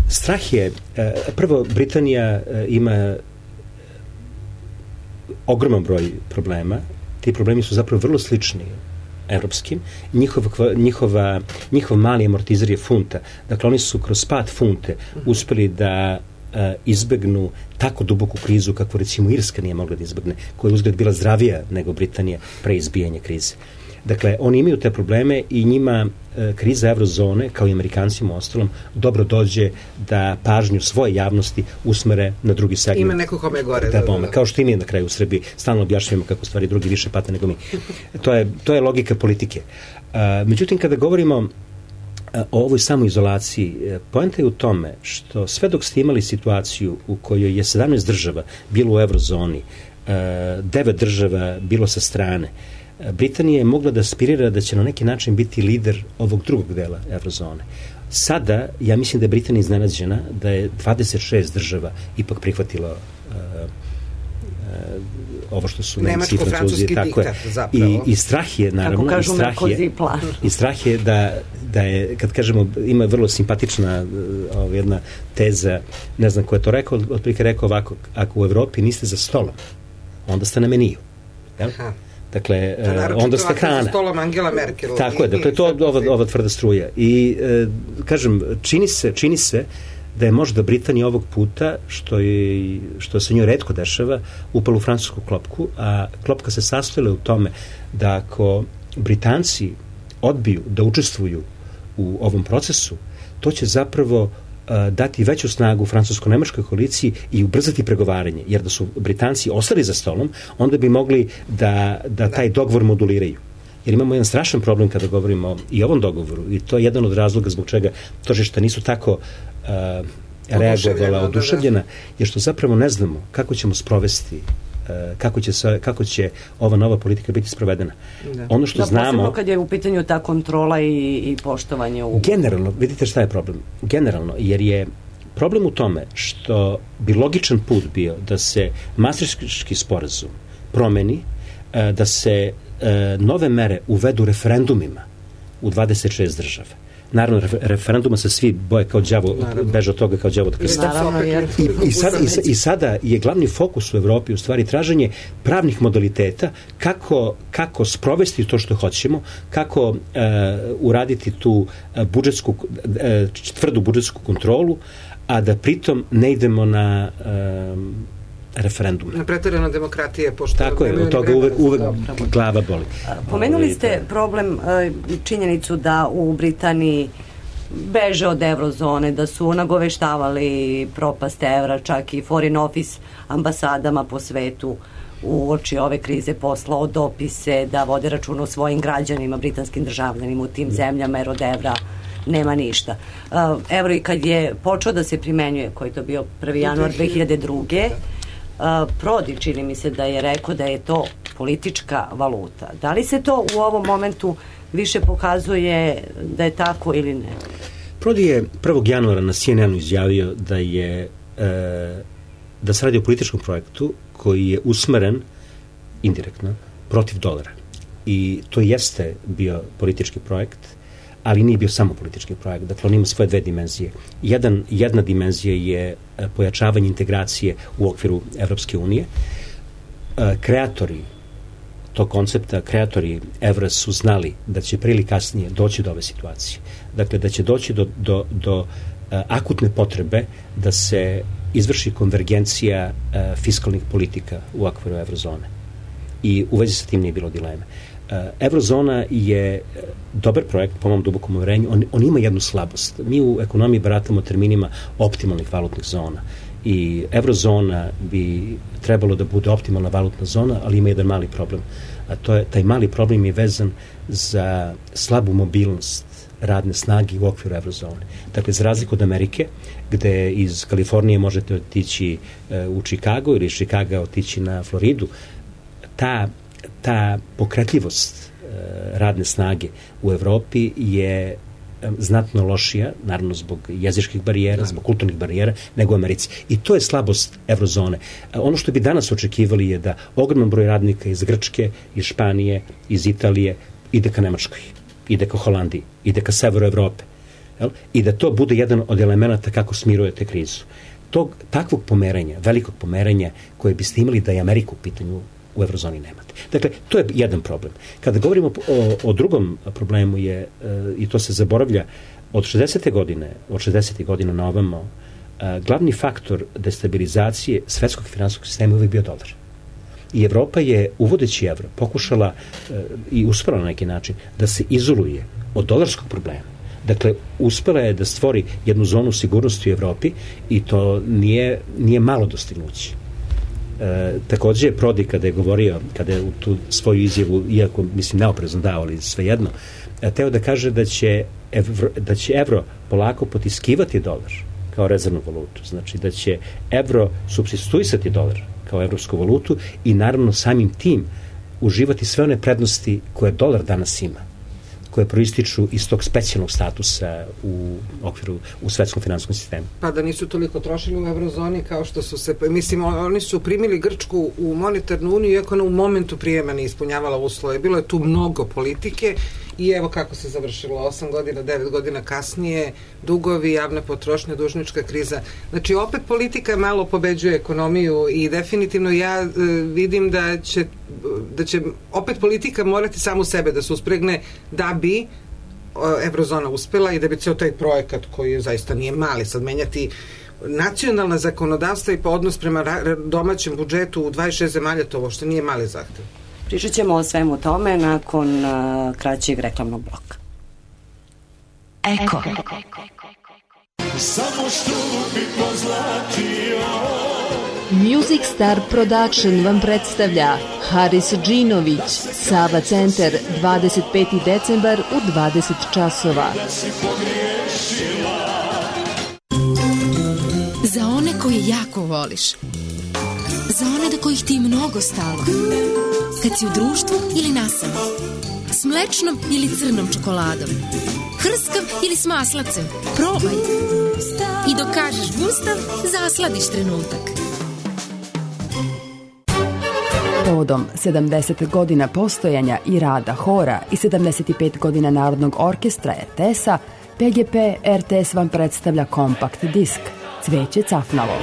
Strah je, prvo, Britanija ima ogroman broj problema. Ti problemi su zapravo vrlo slični evropskim. Njihov mali amortizer je funta. Dakle, oni su kroz pad funte uspeli da izbegnu tako duboku krizu kako recimo Irska nije mogla da izbegne, koja je uzgled bila zdravija nego Britanija pre izbijanja krize. Dakle, oni imaju te probleme i njima kriza evrozone, kao i Amerikancima ostalom, dobro dođe da pažnju svoje javnosti usmere na drugi segment. Ima neko kome je gore. Kao što i mi na kraju u Srbiji stalno objašnjamo kako stvari drugi više pate nego mi. To je logika politike. Međutim, kada govorimo o ovoj samoizolaciji, poenta je u tome što sve dok ste imali situaciju u kojoj je 17 država bilo u evrozoni, 9 država bilo sa strane, Britanija je mogla da aspirira da će na neki način biti lider ovog drugog dela eurozone. Sada, ja mislim da je Britanija iznenađena da je 26 država ipak prihvatilo ovo što su Nemci i Francuzi, tako je. I strah je, naravno, i strah je da je, kad kažemo, ima vrlo simpatična jedna teza, ne znam ko je to rekao, otprilike rekao ovako, ako u Evropi niste za stolom, onda ste na meniju. Jel? Dakle, onda ste hrana. Za stolom Angela Merkel. Tako je, dakle, to je ova tvrda struja. I, kažem, čini se da je možda Britanija ovog puta, što se njoj retko dešava, upala u francusku klopku, a klopka se sastojila u tome da ako Britanci odbiju da učestvuju u ovom procesu, to će zapravo dati veću snagu francusko-nemačkoj koaliciji i ubrzati pregovaranje, jer da su Britanci ostali za stolom, onda bi mogli da taj dogovor moduliraju. Jer imamo jedan strašan problem kada govorimo i o ovom dogovoru, i to je jedan od razloga zbog čega tržišta nisu tako reagovala, oduševljena, jer što zapravo ne znamo kako ćemo sprovesti, kako će ova nova politika biti sprovedena. Ono što znamo... Posebno kad je u pitanju ta kontrola i poštovanje ugovora. Generalno, vidite šta je problem? Generalno, jer je problem u tome što bi logičan put bio da se Maastrichtski sporazum promeni, da se nove mere uvedu referendumima u 26 država. Naravno, referenduma se svi boje kao đavo, beže od toga kao đavo od krsta. I sada je glavni fokus u Evropi u stvari traženje pravnih modaliteta kako sprovesti to što hoćemo, kako uraditi tu tvrdu budžetsku kontrolu, a da pritom ne idemo na referendum. Na preterana demokratije, pošto... Tako je, od toga uvek glava boli. Pomenuli ste problem, činjenicu da u Britaniji beže od eurozone, da su nagoveštavali propast evra, čak i foreign office ambasadama po svetu uoči ove krize poslao dopise da vode računa o svojim građanima, britanskim državljanima u tim zemljama, jer od evra nema ništa. Evro i kad je počeo da se primenjuje, koji je to bio 1. januar 2002. Prodi, čini mi se da je rekao da je to politička valuta. Da li se to u ovom momentu više pokazuje da je tako ili ne? Prodi je 1. januara na CNN-u izjavio da se radi o političkom projektu koji je usmeren indirektno protiv dolara. I to jeste bio politički projekt, ali nije bio samo politički projekt. Dakle, on ima svoje dve dimenzije. Jedna dimenzija je pojačavanje integracije u okviru Evropske unije. Kreatori tog koncepta, kreatori evra su znali da će pre ili kasnije doći do ove situacije. Dakle, da će doći do akutne potrebe da se izvrši konvergencija fiskalnih politika u okviru eurozone. I u vezi sa tim nije bilo dileme. Eurozona je dobar projekt, po mom dubokom uverenju. On ima jednu slabost. Mi u ekonomiji baratamo terminima optimalnih valutnih zona. I eurozona bi trebalo da bude optimalna valutna zona, ali ima jedan mali problem. A taj mali problem je vezan za slabu mobilnost radne snage u okviru eurozone. Dakle, za razliku od Amerike, gde iz Kalifornije možete otići u Chicago ili iz Chicaga otići na Floridu, ta pokretljivost radne snage u Evropi je znatno lošija, naravno zbog jezičkih barijera, zbog kulturnih barijera, nego u Americi. I to je slabost eurozone. Ono što bi danas očekivali je da ogroman broj radnika iz Grčke, iz Španije, iz Italije ide ka Nemačkoj, ide ka Holandiji, ide ka severu Evrope. I da to bude jedan od elemenata kako smirujete krizu. Takvog pomeranja, velikog pomeranja koje biste imali da je Amerika u pitanju, u eurozoni nemate. Dakle, to je jedan problem. Kada govorimo o drugom problemu je, i to se zaboravlja, od 60. godina na ovamo, glavni faktor destabilizacije svetskog finansijskog sistema je uvijek bio dolar. I Evropa je, uvodeći evro, pokušala i uspela na neki način da se izoluje od dolarskog problema. Dakle, uspela je da stvori jednu zonu sigurnosti u Evropi i to nije malo dostignuće. Takođe je Prodi kada je govorio, kada je u tu svoju izjavu, iako mislim neoprezno dao, ali svejedno, teo da kaže da će evro polako potiskivati dolar kao rezervnu valutu. Znači da će evro supstituisati dolar kao evropsku valutu i naravno samim tim uživati sve one prednosti koje dolar danas ima, koje proističu iz tog specijalnog statusa u svetskom finansijskom sistemu. Pa da nisu toliko trošili u eurozoni kao što su se, mislim, oni su primili Grčku u monetarnu uniju, iako ona u momentu prijema ne ispunjavala uslove. Bilo je tu mnogo politike i evo kako se završilo 8 godina, 9 godina kasnije, dugovi, javna potrošnja, dužnička kriza. Znači, opet politika malo pobeđuje ekonomiju i definitivno ja vidim da će opet politika morati samu sebe da se uspregne da bi eurozona uspela i da bi ceo taj projekat koji zaista nije mali, sad menjati nacionalna zakonodavstva i odnos prema domaćem budžetu u 26 zemalja, to uopšte nije mali zahtev. Pričat ćemo o svemu tome nakon kraćeg reklamnog bloka. Eko. Samo što bi pozlatio. Music Star Production vam predstavlja Haris Džinović, Sava Centar, 25. decembar u 20 časova. Za one koje jako voliš. Za one do kojih ti mnogo stalo. Kad si u društvu ili nasamo. S mlečnom ili crnom čokoladom. Hrskav ili s maslacem. Probaj. I dok kažeš gustav, zasladiš trenutak. Povodom 70 godina postojanja i rada hora i 75 godina Narodnog orkestra RTS-a, PGP RTS vam predstavlja kompakt disk Cveće cafnalo.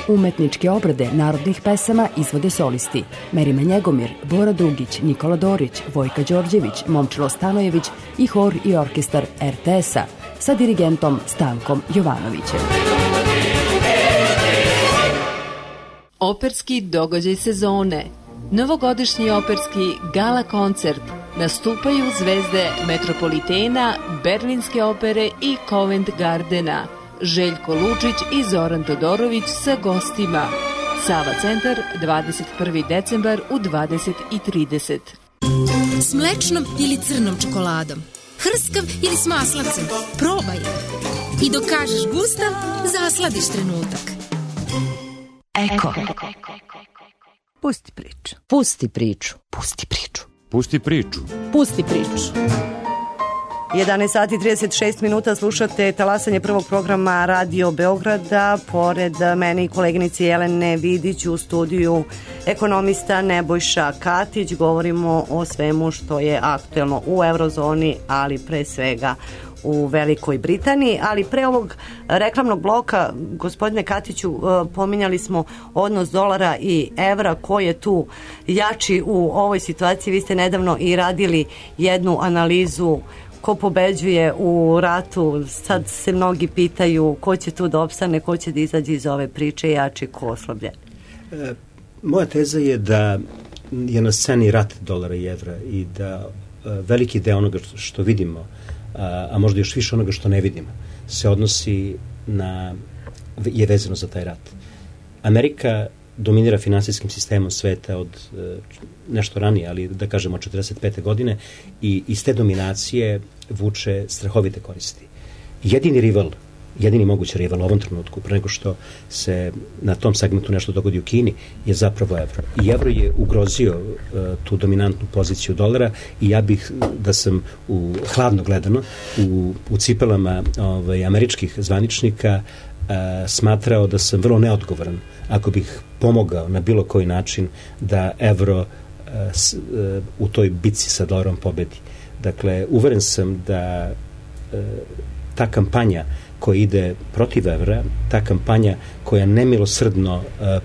Umetničke obrade narodnih pesama izvode solisti Merima Njegomir, Bora Dugić, Nikola Dorić, Vojka Đorđević, Momčilo Stanojević i hor i orkestar RTS-a sa dirigentom Stankom Jovanovićem. Operski događaj sezone. Novogodišnji operski gala koncert. Nastupaju zvezde Metropolitena, Berlinske opere i Covent Gardena. Željko Lučić i Zoran Todorović sa gostima. Sava Centar, 21. decembar u 20:30. S mlečnom ili crnom čokoladom. Hrskav ili s maslacem. Probaj. I dok kažeš gustav, zasladiš trenutak. Eko. Pusti priču. Pusti priču. Pusti priču. Pusti priču. Pusti priču. 11 sati 36 minuta slušate talasanje prvog programa Radio Beograda. Pored mene i koleginici Jelene Vidić u studiju ekonomista Nebojša Katić. Govorimo o svemu što je aktuelno u eurozoni, ali pre svega u Velikoj Britaniji, ali pre ovog reklamnog bloka, gospodine Katiću, pominjali smo odnos dolara i evra, ko je tu jači u ovoj situaciji. Vi ste nedavno i radili jednu analizu ko pobeđuje u ratu. Sad se mnogi pitaju ko će tu da opstane, ko će da izađe iz ove priče, jači, ko oslabljen. Moja teza je da je na sceni rat dolara i evra i da veliki deo onoga što vidimo, a možda još više onoga što ne vidimo, se odnosi je vezano za taj rat. Amerika dominira finansijskim sistemom sveta od nešto ranije, ali da kažemo od 45. godine, i iz te dominacije vuče strahovite koristi. Jedini mogući rival u ovom trenutku, pre nego što se na tom segmentu nešto dogodi u Kini, je zapravo evro. I evro je ugrozio tu dominantnu poziciju dolara i ja bih, da sam hladno gledano, u cipelama američkih zvaničnika, smatrao da sam vrlo neodgovoran ako bih pomogao na bilo koji način da evro u toj bitci sa dolarom pobedi. Dakle, uveren sam da ta kampanja koja ide protiv evra, ta kampanja koja nemilosrdno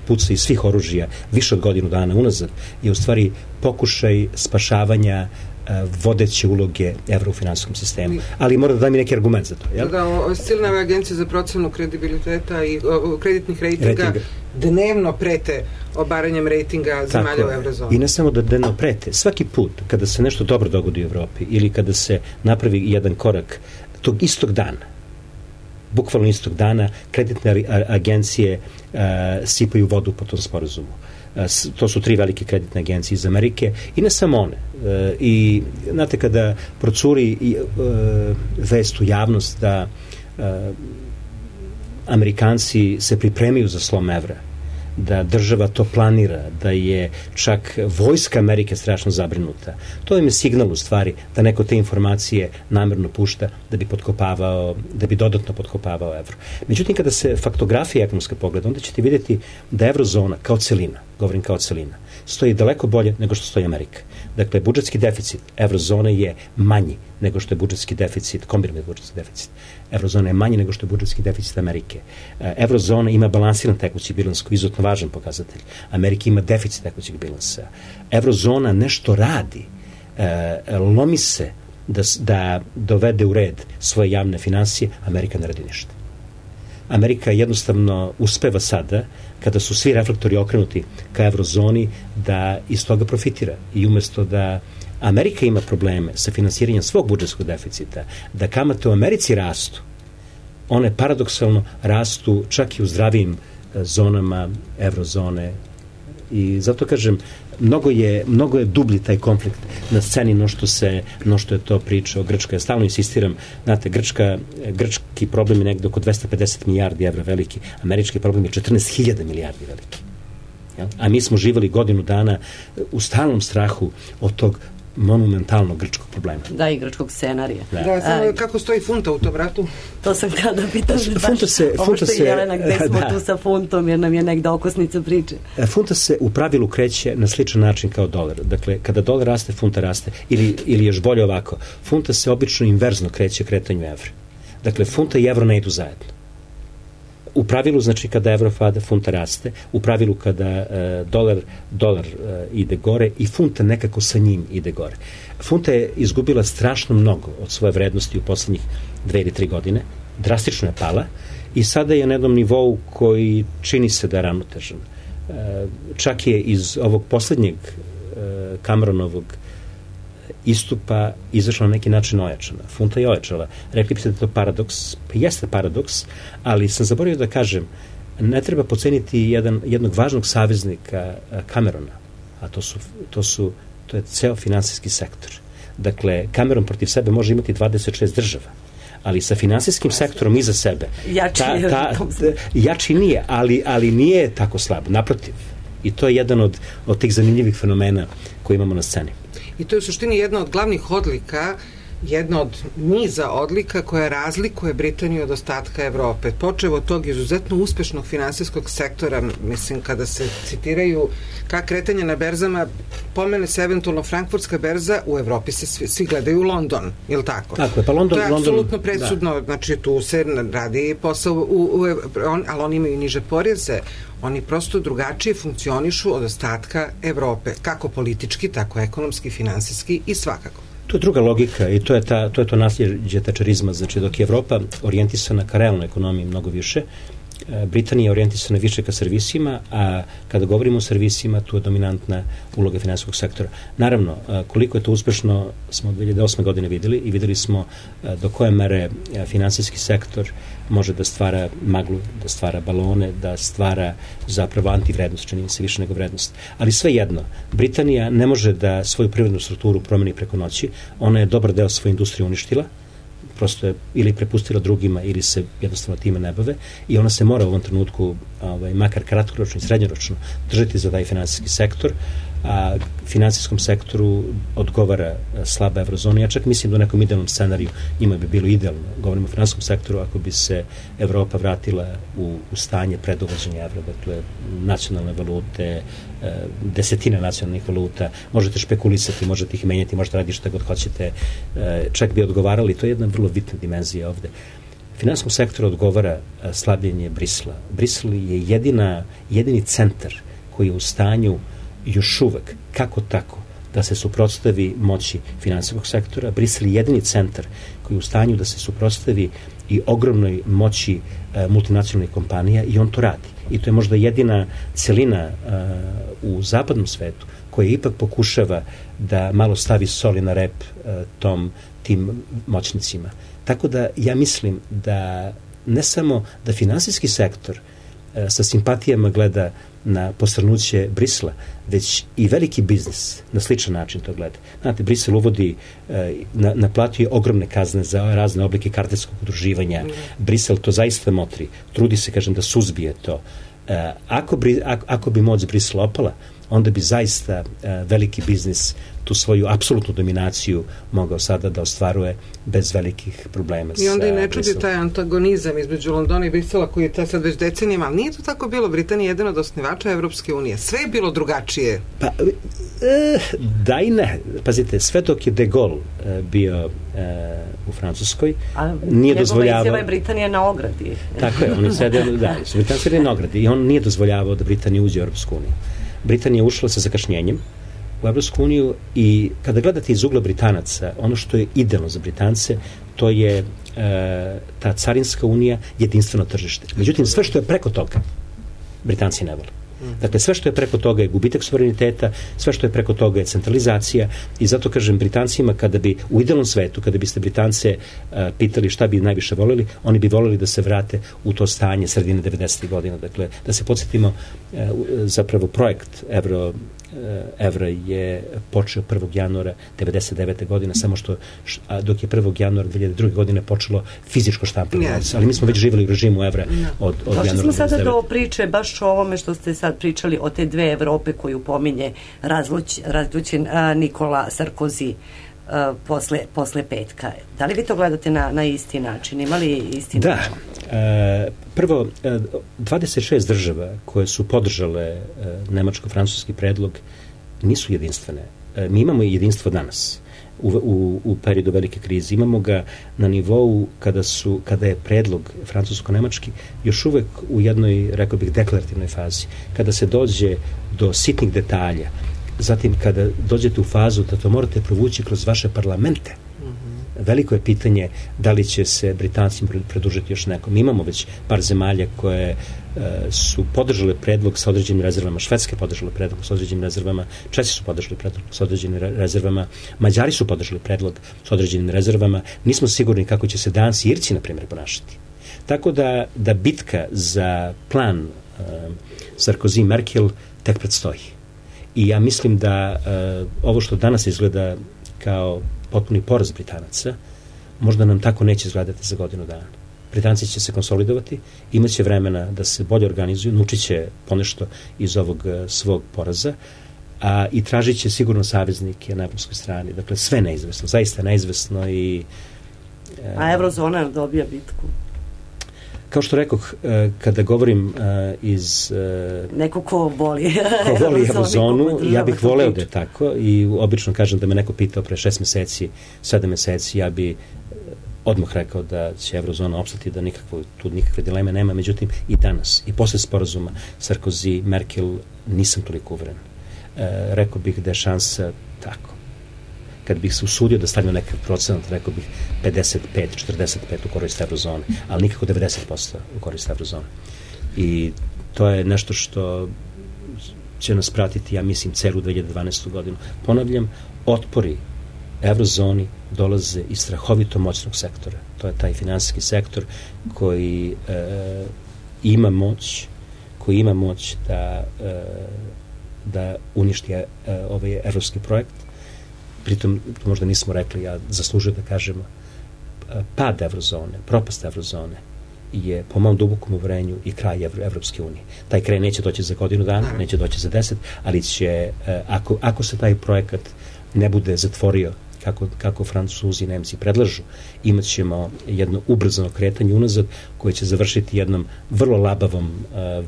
puca iz svih oružja više od godinu dana unazad, je u stvari pokušaj spašavanja vodeće uloge evra u finansijskom sistemu. Ali mora da daj mi neki argument za to. Jel? Da, silne agencije za procenu kredibiliteta i kreditnih rejtinga dnevno prete obaranjem rejtinga zemalja u eurozoni. I ne samo da dnevno prete. Svaki put kada se nešto dobro dogodi u Evropi ili kada se napravi jedan korak, tog istog dana, bukvalno istog dana, kreditne agencije sipaju vodu po tom sporazumu. To su 3 velike kreditne agencije iz Amerike i ne samo one. I znate, kada procuri vest u javnost da Amerikanci se pripremaju za slom evra, da država to planira, da je čak vojska Amerike strašno zabrinuta. To im je signal u stvari da neko te informacije namerno pušta da bi dodatno potkopavao evro. Međutim, kada se faktografija ekonomska pogleda, onda ćete vidjeti da evrozona kao celina, govorim kao celina, stoji daleko bolje nego što stoji Amerika. Dakle, budžetski deficit evrozone je manji nego što je budžetski deficit, kombinovani budžetski deficit. Evrozona je manji nego što je budžetski deficit Amerike. Evrozona ima balansiran tekući bilans, koji je izuzetno važan pokazatelj. Amerika ima deficit tekućeg bilansa. Evrozona nešto radi, lomi se da dovede u red svoje javne finansije, Amerika ne radi ništa. Amerika jednostavno uspeva sada, kada su svi reflektori okrenuti ka evrozoni, da iz toga profitira. I umesto da Amerika ima probleme sa finansiranjem svog budžetskog deficita, da kamate u Americi rastu, one paradoksalno rastu čak i u zdravijim zonama evrozone. I zato kažem, mnogo je dublji taj konflikt na sceni no što je to priča o Grčkoj. Ja stalno insistiram, znate, grčki problem je negde oko 250 milijardi evra veliki, američki problem je 14.000 milijardi veliki. A mi smo živeli godinu dana u stalnom strahu od tog monumentalnog grčkog problema. Da, i grčkog scenarija. Da, samo kako stoji funta u tom ratu? To sam kada pitam, ovo što je Jelena, gde smo tu sa funtom, jer nam je negde okosnica priče. Funta se u pravilu kreće na sličan način kao dolar. Dakle, kada dolar raste, funta raste. Ili još bolje ovako, funta se obično inverzno kreće kretanju evra. Dakle, funta i evro ne idu zajedno. U pravilu, znači, kada evro pada, funta raste. U pravilu, kada dolar ide gore i funta nekako sa njim ide gore. Funta je izgubila strašno mnogo od svoje vrednosti u poslednjih 2 ili 3 godine. Drastično je pala i sada je na jednom nivou koji čini se da je ravnotežan. Čak je iz ovog poslednjeg Cameronovog istupa izašla na neki način ojačana. Funta je ojačala. Rekli bi se da je to paradoks. Pa jeste paradoks, ali sam zaboravio da kažem, ne treba poceniti jednog važnog saveznika Camerona, a to je ceo finansijski sektor. Dakle, Cameron protiv sebe može imati 26 država, ali sa finansijskim sektorom iza sebe jači nije, ali nije tako slab, naprotiv. I to je jedan od tih zanimljivih fenomena koje imamo na sceni. I to je u suštini jedna od glavnih odlika, jedna od niza odlika koja razlikuje Britaniju od ostatka Evrope. Počev od tog izuzetno uspešnog finansijskog sektora, mislim, kada se citiraju ka kretanja na berzama, pomene se eventualno frankfurtska berza, u Evropi se svi gledaju u London, je li tako? Tako je, pa London... To je apsolutno presudno, znači tu se radi posao, ali oni imaju niže poreze, oni prosto drugačije funkcionišu od ostatka Evrope, kako politički, tako ekonomski, finansijski i svakako. To je druga logika i to je to nasljeđe tačerizma, znači dok je Evropa orijentisana ka realnoj ekonomiji mnogo više, Britanija je orijentisana više ka servisima, a kada govorimo o servisima, tu je dominantna uloga finansijskog sektora. Naravno, koliko je to uspešno smo 2008. godine videli i videli smo do koje mere finansijski sektor može da stvara maglu, da stvara balone, da stvara zapravo antivrednost, čini se više nego vrednost. Ali svejedno, Britanija ne može da svoju privrednu strukturu promeni preko noći, ona je dobar deo svoje industrije uništila, prosto je ili prepustila drugima ili se jednostavno time ne bave i ona se mora u ovom trenutku makar kratkoročno i srednjoročno držati za taj finansijski sektor, a finansijskom sektoru odgovara slaba evrozona. Ja čak mislim da u nekom idealnom scenariju njima bi bilo idealno, govorimo o finansijskom sektoru, ako bi se Evropa vratila u stanje pred uvođenja evra, dakle nacionalne valute, desetina nacionalnih valuta, možete špekulisati, možete ih menjati, možete raditi šta god hoćete, čak bi odgovarali, to je jedna vrlo bitna dimenzija ovde. Finansijskom sektoru odgovara slabljenje Brisla. Brisel je jedini centar koji je u stanju još uvek, kako tako, da se suprotstavi moći finansijskog sektora. Brisel je jedini centar koji je u stanju da se suprotstavi i ogromnoj moći multinacionalnih kompanija i on to radi. I to je možda jedina celina u zapadnom svetu koja ipak pokušava da malo stavi soli na rep tim moćnicima. Tako da ja mislim da ne samo da finansijski sektor sa simpatijama gleda na posrnuće Brisela, već i veliki biznis na sličan način to gleda. Znate, Brisel uvodi, naplatio ogromne kazne za razne oblike kartelskog udruživanja. Brisel to zaista motri. Trudi se, kažem, da suzbije to. Ako bi moć Brisela opala, onda bi zaista veliki biznis tu svoju apsolutnu dominaciju mogao sada da ostvaruje bez velikih problema. I onda i ne čudi taj antagonizam između Londona i Brisela koji je sad već decenijama, ali nije to tako bilo. Britanija je jedan od osnivača Evropske unije. Sve je bilo drugačije. Pa, da i ne. Pazite, sve dok je De Gaulle bio u Francuskoj, nije dozvoljavao... Njegova izjava je Britanija na ogradi. Tako je, oni sede, da, su Britanija sede na ogradi i on nije dozvoljavao da Britanija uđe u Evropsku uniju. Britanija je ušla sa zakašnjenjem u Evropsku uniju i kada gledate iz ugla Britanaca, ono što je idealno za Britance, to je ta carinska unija, jedinstveno tržište. Međutim, sve što je preko toga, Britanci ne vole. Dakle, sve što je preko toga je gubitak suvereniteta, sve što je preko toga je centralizacija i zato kažem Britancima, kada bi u idealnom svetu, kada biste Britance pitali šta bi najviše voleli, oni bi voleli da se vrate u to stanje sredine 90. godina. Dakle, da se podsjetimo, zapravo projekt evra je počeo 1. januara 99. godine, samo što dok je 1. januara 2002. godine počelo fizičko štampanje novca, ali mi smo već živjeli u režimu evra od januara 99. Došli smo sada do priče baš o ovome što ste sad pričali o te dve Evrope koju pominje razlučen Nikola Sarkozy posle petka. Da li vi to gledate na isti način? Ima li isti način? Da. Prvo, 26 država koje su podržale nemačko-francuski predlog nisu jedinstvene. Mi imamo jedinstvo danas u periodu velike krize. Imamo ga na nivou kada je predlog francusko-nemački još uvek u jednoj, rekao bih, deklarativnoj fazi. Kada se dođe do sitnih detalja, zatim kada dođete u fazu da to morate provući kroz vaše parlamente, veliko je pitanje da li će se Britancima pridružiti još nekom. Mi imamo već par zemalja koje su podržale predlog sa određenim rezervama. Švedska je podržala predlog sa određenim rezervama, Česi su podržali predlog sa određenim rezervama, Mađari su podržali predlog sa određenim rezervama. Nismo sigurni kako će se Danci i Irci, na primjer, ponašati. Tako da bitka za plan Sarkozy-Merkel tek predstoji. I ja mislim da ovo što danas izgleda kao potpuni poraz Britanaca, možda nam tako neće izgledati za godinu dana. Britanci će se konsolidovati, imaće vremena da se bolje organizuju, naučit će ponešto iz ovog svog poraza, i tražit će sigurno saveznike na evropskoj strani. Dakle, sve neizvesno, zaista neizvesno. A Eurozona dobija bitku? Kao što rekoh, kada govorim iz... Neko ko voli Eurozonu, ja bih voleo da je tako i obično kažem da me neko pitao pre 6 meseci, 7 meseci, ja bi odmah rekao da će Eurozona opstati, da tu nikakve dileme nema, međutim i danas, i posle sporazuma Sarkozy, Merkel, nisam toliko uveren. Rekao bih da je šansa tako. Kad bih se usudio da stavim nekakav procenat, rekao bih 55-45 u korist Eurozone, ali nikako 90% u korist Eurozone. I to je nešto što će nas pratiti, ja mislim, celu 2012. godinu. Ponavljam, otpori Eurozoni dolaze iz strahovito moćnog sektora. To je taj finansijski sektor koji ima moć da uništi ovaj evropski projekt. Pritom, možda nismo rekli, ja zaslužujem da kažemo, pad Eurozone, propast Eurozone je po mom dubokom uverenju i kraj Evropske unije. Taj kraj neće doći za godinu dana, neće doći za 10, ali će, ako se taj projekat ne bude zatvorio kako Francuzi i Nemci predlažu, imat ćemo jedno ubrzano kretanje unazad koje će završiti jednom vrlo labavom,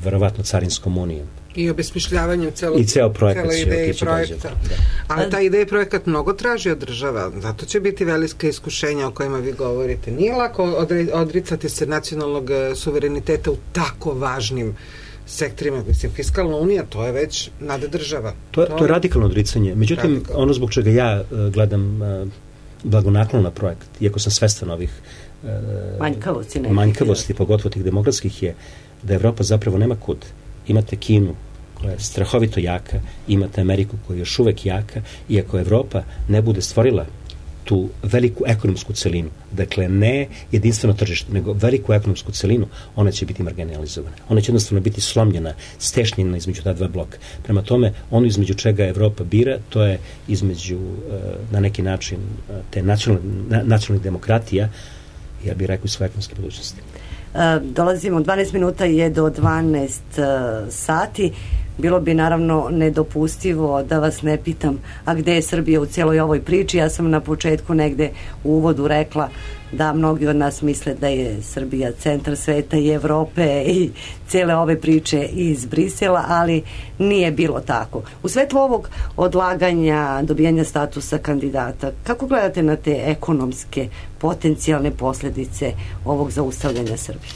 verovatno carinskom unijom. I obesmišljavanjem ceo projekat cele ideje projekta. Ali ta ideja i projekat mnogo traži od država, zato će biti velika iskušenja o kojima vi govorite. Nije lako odricati se nacionalnog suvereniteta u tako važnim sektorima. Mislim, fiskalna unija, to je već nade država. To je radikalno odricanje. Međutim, ono zbog čega ja gledam blagonaklono na projekt, iako sam svestan ovih manjkavosti, pogotovo tih demokratskih, je da Evropa zapravo nema kud. Imate Kinu koja je strahovito jaka, imate Ameriku koja je još uvek jaka, i ako Evropa ne bude stvorila tu veliku ekonomsku celinu, dakle ne jedinstveno tržište, nego veliku ekonomsku celinu, ona će biti marginalizovana. Ona će jednostavno biti slomljena, stešnjena između ta dva bloka. Prema tome, ono između čega Evropa bira, to je između, na neki način, te nacionalnih demokratija, ja bih rekao, i svoje ekonomske budućnosti. Dolazimo, 12 minuta je do 12 sati. Bilo bi naravno nedopustivo da vas ne pitam, a gde je Srbija u cijeloj ovoj priči? Ja sam na početku negde u uvodu rekla da mnogi od nas misle da je Srbija centar sveta i Evrope i cijele ove priče iz Brisela, ali nije bilo tako. U svetlu ovog odlaganja, dobijanja statusa kandidata, kako gledate na te ekonomske potencijalne posljedice ovog zaustavljanja Srbije?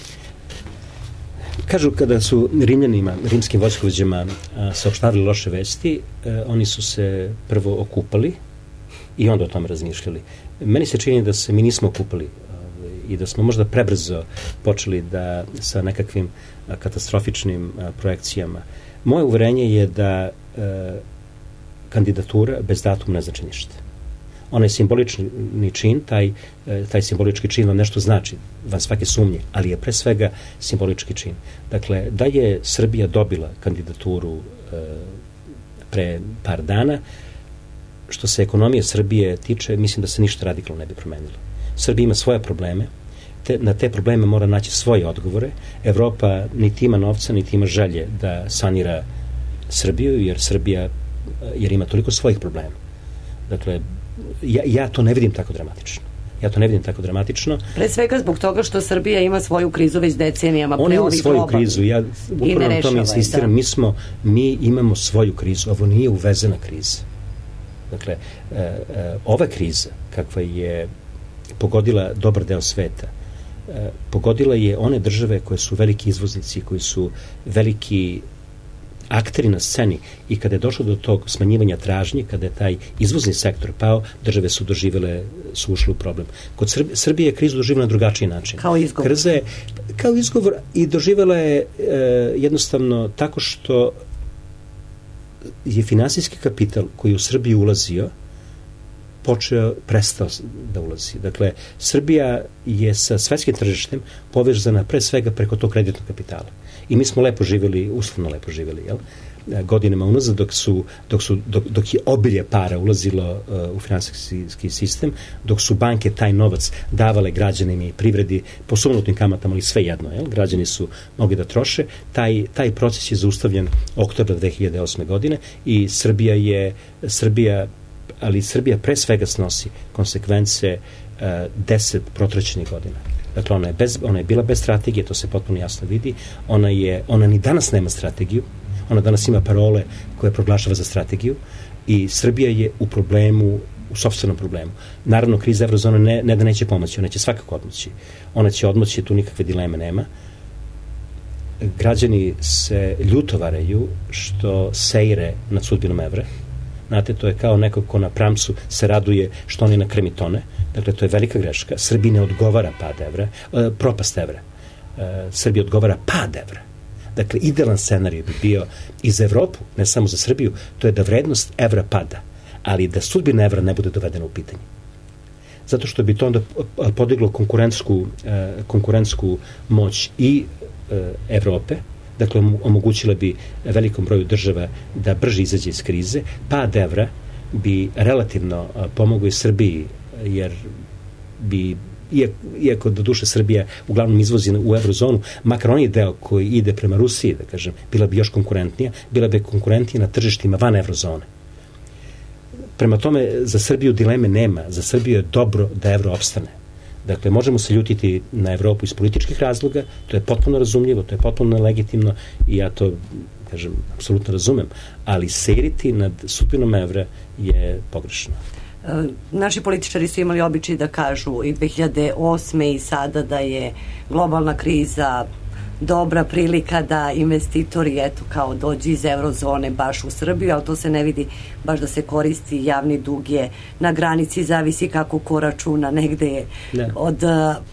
Kažu, kada su Rimljanima, rimskim vojskovođama saopštavili loše vesti, oni su se prvo okupali i onda o tome razmišljali. Meni se čini da se mi nismo okupali i da smo možda prebrzo počeli da sa nekakvim katastrofičnim projekcijama. Moje uverenje je da kandidatura bez datuma ne znači ništa. Onaj simbolični čin, taj simbolički čin vam nešto znači, van svake sumnje, ali je pre svega simbolički čin. Dakle, da je Srbija dobila kandidaturu pre par dana, što se ekonomije Srbije tiče, mislim da se ništa radikalno ne bi promenilo. Srbija ima svoje probleme, na te probleme mora naći svoje odgovore. Evropa niti ima novca, niti ima želje da sanira Srbiju, jer ima toliko svojih problema. Dakle, ja to ne vidim tako dramatično. Pre svega zbog toga što Srbija ima svoju krizu već decenijama. On ima svoju krizu, ja upravo na tome insistiram. Mi imamo svoju krizu, ovo nije uvezena kriza. Dakle, ova kriza, kakva je pogodila dobar deo sveta, pogodila je one države koje su veliki izvoznici, koji su veliki akteri na sceni, i kada je došlo do tog smanjivanja tražnje, kada je taj izvozni sektor pao, države su ušle u problem. Kod Srbije je krizu doživjela na drugačiji način. Kao izgovor i doživjela je jednostavno tako što je finansijski kapital koji u Srbiji ulazio prestao da ulazi. Dakle, Srbija je sa svetskim tržištem povezana pre svega preko tog kreditnog kapitala. I mi smo uslovno lepo živjeli, godinama unazad, dok je obilje para ulazilo u finansijski sistem, dok su banke taj novac davale građanima i privredi po sumnutnim kamatama, ali sve jedno, građani su mogli da troše, taj proces je zaustavljen oktobra 2008. godine i Srbija pre svega snosi konsekvence 10 protraćenih godina. Dakle, ona je bila bez strategije, to se potpuno jasno vidi. Ona ni danas nema strategiju, ona danas ima parole koje proglašava za strategiju i Srbija je u sopstvenom problemu. Naravno, kriza eurozone ne da neće pomoći, ona će svakako odmoći. Ona će odmoći, tu nikakve dileme nema. Građani se ljuto varaju što seire nad sudbinom evra. Znate, to je kao neko ko na pramcu se raduje što oni na krmi tone. Dakle, to je velika greška. Srbiji ne odgovara propast evra. Srbiji odgovara pad evra. Dakle, idealan scenarij bi bio i za Evropu, ne samo za Srbiju, to je da vrednost evra pada, ali da sudbina evra ne bude dovedena u pitanje. Zato što bi to onda podiglo konkurentsku moć i Evrope, dakle, omogućila bi velikom broju država da brže izađe iz krize. Pad evra bi relativno pomogao i Srbiji, jer bi, iako do duše Srbija uglavnom izvozi u eurozonu, makar onaj deo koji ide prema Rusiji, da kažem, bila bi još konkurentnija, bila bi konkurentnija na tržištima van eurozone. Prema tome, za Srbiju dileme nema, za Srbiju je dobro da evro opstane. Dakle, možemo se ljutiti na Evropu iz političkih razloga, to je potpuno razumljivo, to je potpuno legitimno i ja to, kažem, apsolutno razumem, ali seriti nad sudbinom evra je pogrešno. Naši političari su imali običaj da kažu i 2008. i sada da je globalna kriza dobra prilika da investitori kao dođu iz eurozone baš u Srbiju, ali to se ne vidi baš da se koristi. Javni dug je na granici, zavisi kako ko računa, negde je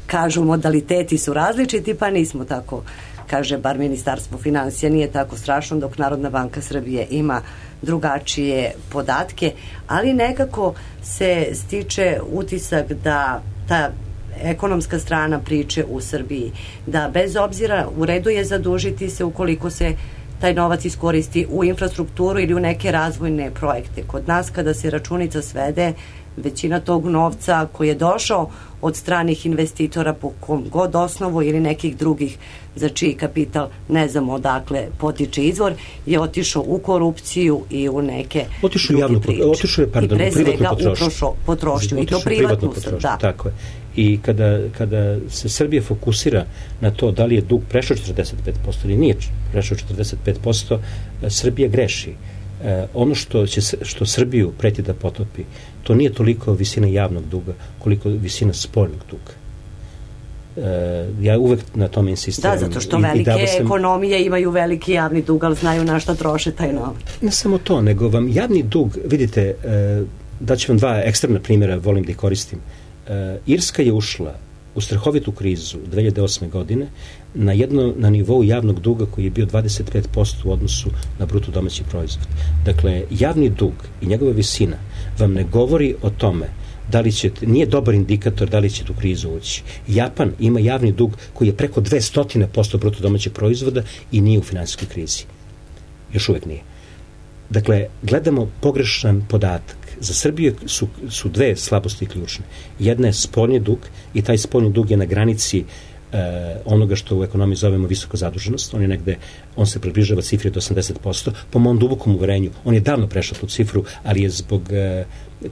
kažu modaliteti su različiti, pa nismo tako, kaže bar Ministarstvo finansija, nije tako strašno, dok Narodna banka Srbije ima drugačije podatke, ali nekako se stiče utisak da ta ekonomska strana priče u Srbiji, da bez obzira, u redu je zadužiti se ukoliko se taj novac iskoristi u infrastrukturu ili u neke razvojne projekte. Kod nas kada se računica svede, većina tog novca koji je došao od stranih investitora po kom god osnovu ili nekih drugih za čiji kapital ne znamo odakle potiče izvor, je otišao u korupciju i u neke druge priče. Otišao je, pardon, i pre svega u potrošnju. I to privatnu. Da. Tako je. I kada se Srbija fokusira na to da li je dug prešao 45% ili nije prešao 45%, Srbija greši. Ono što Srbiju preti da potopi, to nije toliko visina javnog duga, koliko visina spoljnog duga. Ja uvek na tome insistiram. Da, zato što velike ekonomije imaju veliki javni dug, ali znaju na šta troše taj novac. Ne samo to, nego vam javni dug, vidite, daću vam dva ekstremna primjera, volim da ih koristim. Irska je ušla u strahovitu krizu 2008. godine na nivou javnog duga koji je bio 25% u odnosu na bruto domaći proizvod. Dakle, javni dug i njegova visina vam ne govori o tome da li će, nije dobar indikator da li će tu krizu ući. Japan ima javni dug koji je preko 200% bruto domaćeg proizvoda i nije u finansijskoj krizi. Još uvek nije. Dakle, gledamo pogrešan podatak. Za Srbiju su dve slabosti ključne. Jedna je spoljni dug i taj spoljni dug je na granici onoga što u ekonomiji zovemo visoka zaduženost. On se približava cifri do 80%. Po mom dubokom uverenju, on je davno prešao tu cifru, ali je zbog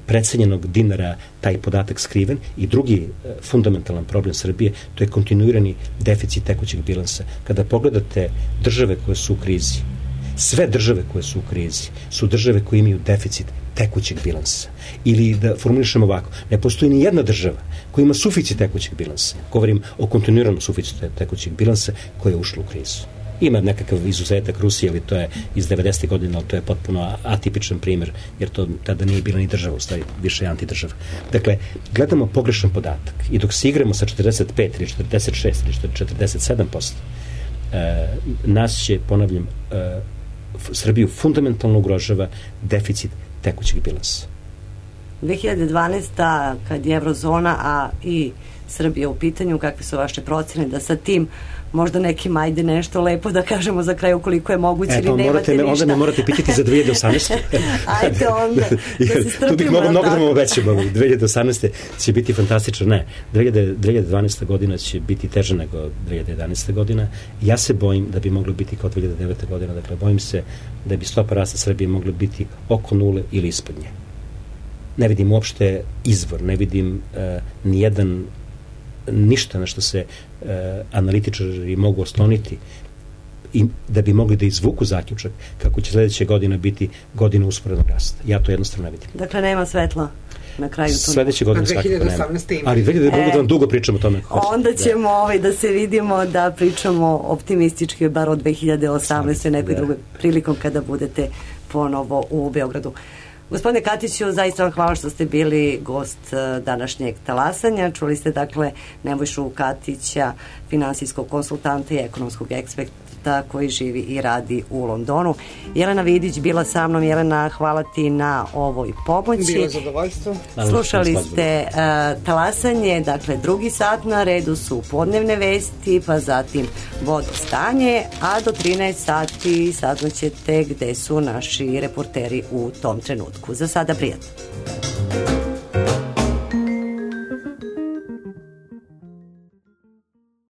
precenjenog dinara taj podatak skriven. I drugi fundamentalan problem Srbije, to je kontinuirani deficit tekućeg bilansa. Kada pogledate države koje su u krizi, sve države koje su u krizi su države koje imaju deficit tekućeg bilansa. Ili da formulišemo ovako, ne postoji ni jedna država koja ima suficit tekućeg bilansa. Govorim o kontinuiranom suficitu tekućeg bilansa koja je ušla u krizu. Ima nekakav izuzetak Rusije, ali to je iz 90. godina, ali to je potpuno atipičan primjer, jer to tada nije bila ni država, u stvari više je antidržava. Dakle, gledamo pogrešan podatak i dok se igramo sa 45 ili 46 ili 47%, nas će, ponavljam, Srbiju fundamentalno ugrožava deficit tekućeg bilansa. 2012. kad je Eurozona, a i Srbija u pitanju, kakve su vaše procene da sa tim možda nekim ajde nešto lepo da kažemo za kraj ukoliko je moguće ili nemate ništa. Onda me morate pitati za 2018. Ajde onda, da se strpimo. Tu bih mnogo da vam obećam. 2018. će biti fantastično. Ne, 2012. godina će biti teža nego 2011. godina. Ja se bojim da bi moglo biti kao 2009. godina. Dakle, bojim se da bi stopa rasta Srbije mogla biti oko nule ili ispod nje. Ne vidim uopšte izvor, ne vidim ništa na što se analitičari mogu osloniti i da bi mogli da izvuku zaključak kako će sledeća godina biti godina usporednog rasta. Ja to jednostavno ne vidim. Dakle, nema svetla na kraju tunela. Sledeće godine svakako nema. Ali 2018. da vam dugo pričamo o tome. Onda ćemo da se vidimo, da pričamo optimistički bar od 2018. nekoj drugoj prilikom kada budete ponovo u Beogradu. Gospodine Katiću, zaista vam hvala što ste bili gost današnjeg talasanja. Čuli ste dakle Nebojšu Katića, finansijskog konsultanta i ekonomskog eksperta koji živi i radi u Londonu. Jelena Vidić bila sa mnom. Jelena, hvala ti na ovoj pomoći. Bilo zadovoljstvo. Slušali ste talasanje, dakle drugi sat, na redu su podnevne vesti, pa zatim vodostanje, a do 13 sati saznaćete gde su naši reporteri u tom trenutku. Za sada prijatno.